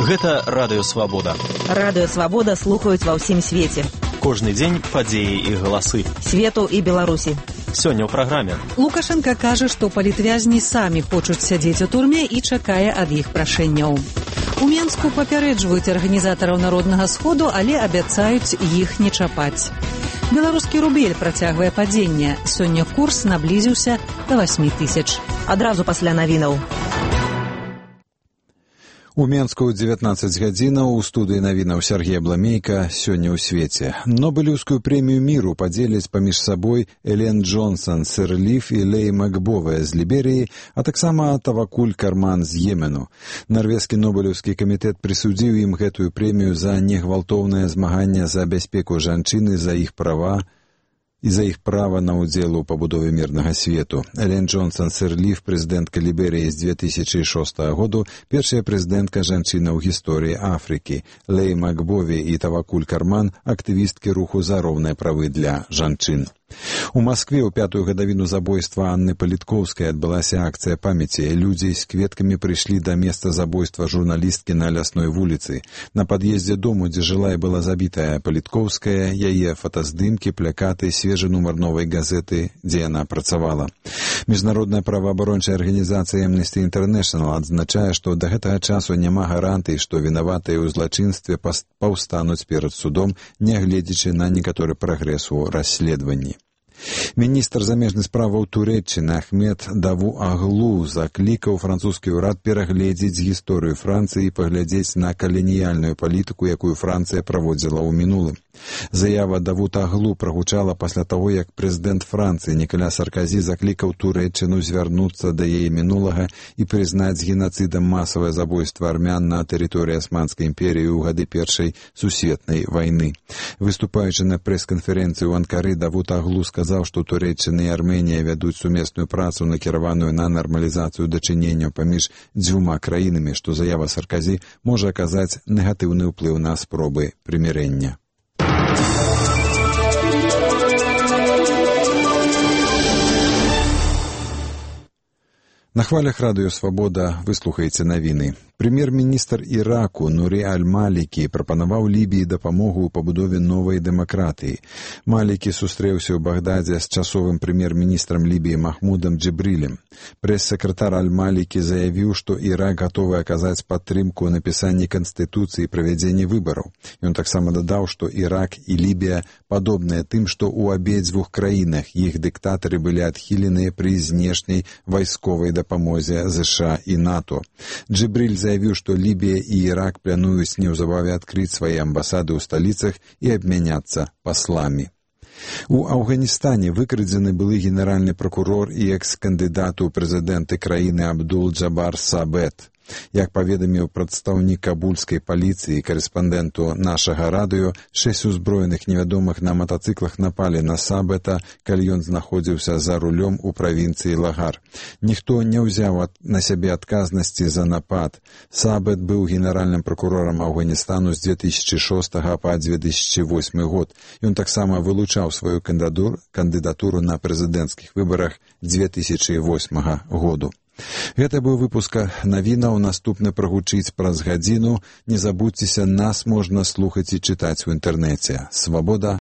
Гэта Радыё Свабода. Радыё Свабода слухаюць ва ўсім свеце. Кожны дзень падзеі і галасы. Свету і Беларусі. Сёння ў праграме. Лукашенко кажа, што палітвязні самі хочуць сядзець у турме і чакае ад іх прашэнняў. У Менску папярэджваюць арганізатараў Народнага сходу, але абяцаюць іх не чапаць. Беларускі рубель працягвае падзенне. Сёння курс наблізіўся да 8 000. Адразу пасля навінаў. У Менску 19 гадзінаў у студыі навінаў Сергей Бламейка. Сёння ў свеце. Нобелеўскую прэмію міру падзеляць паміж сабой Элен Джонсон, Сирлиф і Лей Макбовая з Ліберыі, а таксама Тавакуль Карман з Йемену. Нарвежскі нобелеўскі камітэт прысудзіў ім гэтую прэмію за негвалтоўнае змаганне за бяспеку жанчыны, за іх права і за іх права на ўдзел у пабудове мірнага свету. Элен Джонсон Сирлиф, прэзідэнтка Ліберыі з 2006 году, першая прэзідэнтка жанчына ў гісторыі Афрыкі. Лей Макбове і Тавакуль Карман – актывісткі руху за роўныя правы для жанчын. У Маскве ў 5-ю гадавіну забойства Анны Палітковскай адбылася акцыя памяці. Людзі з кветкамі прыйшлі да месца забойства журналісткі на Лясной вуліцы. На пад'ездзе дому, дзе жыла і была забітая Палітковская, яе фотаздымкі, плакаты, свежы нумар новай газеты, дзе яна працавала. Міжнародная праваабарончая арганізацыя Amnesty International адзначае, што да гэтага часу няма гарантый, што вінаватыя ў злачынстве паўстануць перад судом, нягледзячы на некаторы прагрэс у расследаванні. Міністр замежных справаў Турэччыны Ахмед Давуаглу заклікаў французскі ўрад перагледзець гісторыю Францыі і паглядзець на каланіяльную палітыку, якую Францыя праводзіла ў мінулым. Заява Давуаглу прагучала пасля таго, як прэзідэнт Францыі Ніколя Саркозі заклікаў Турэччыну звярнуцца да яе мінулага і прызнаць генацыдам масавае забойства армян на тэрыторыі Асманскай імперіі ў гады Першай сусветнай вайны. Выступаючы на прэс-канферэнцыі ў Анкары, Давуаглу сказаў, што Турэччына і Арменія вядуць сумесную працу, накіраваную на нармалізацыю дачыненняў паміж дзвюма краінамі, што заява Саркозі можа аказаць негатыўны ўплыў на спробы прымірэння. На хвалях Радыё Свабода вы слухаеце навіны. Прэм'ер-міністр Іраку Нурі Аль-Малікі прапанаваў Лібіі дапамогу ў пабудове новай дэмакратыі. Малікі сустрэўся ў Багдадзе з часовым прэм'ер-міністрам Лібіі Махмудам Джибрилем. Прэс-сакратар Аль-Малікі заявіў, што Ірак гатовы аказаць падтрымку ў напісанні канстытуцыі і правядзенні выбараў. Ён таксама дадаў, што Ірак і Лібія падобныя тым, што ў абедзвюх краінах іх дыктатары былі адхіленыя пры знешняй вайсковай дапамозе США і НАТО. Джибриль заявіў, што Лібія і Ірак плануюць неўзабаве адкрыць свае амбасады ў сталіцах і абмяняцца пасламі. У Афганістане выкрадзены былы генеральны пракурор і экс-кандыдат у прэзідэнты краіны Абдул-Джабар Сабет. Як паведаміў прадстаўнік кабульскай паліцыі і карэспандэнту нашага радыё, 6 узброеных невядомых на матацыклах напалі на Сабета, калі ён знаходзіўся за рулём у правінцыі Лагар. Ніхто не ўзяў на сябе адказнасці за напад. Сабет быў генеральным пракурорам Афганістану з 2006 па 2008 год. Ён таксама вылучаў сваю кандыдатуру на прэзідэнцкіх выбарах 2008 году. Гэта быў выпуск навінаў, наступны прагучыць праз гадзіну. Не забудзьцеся, нас можна слухаць і чытаць у інтэрнэце. Свабода.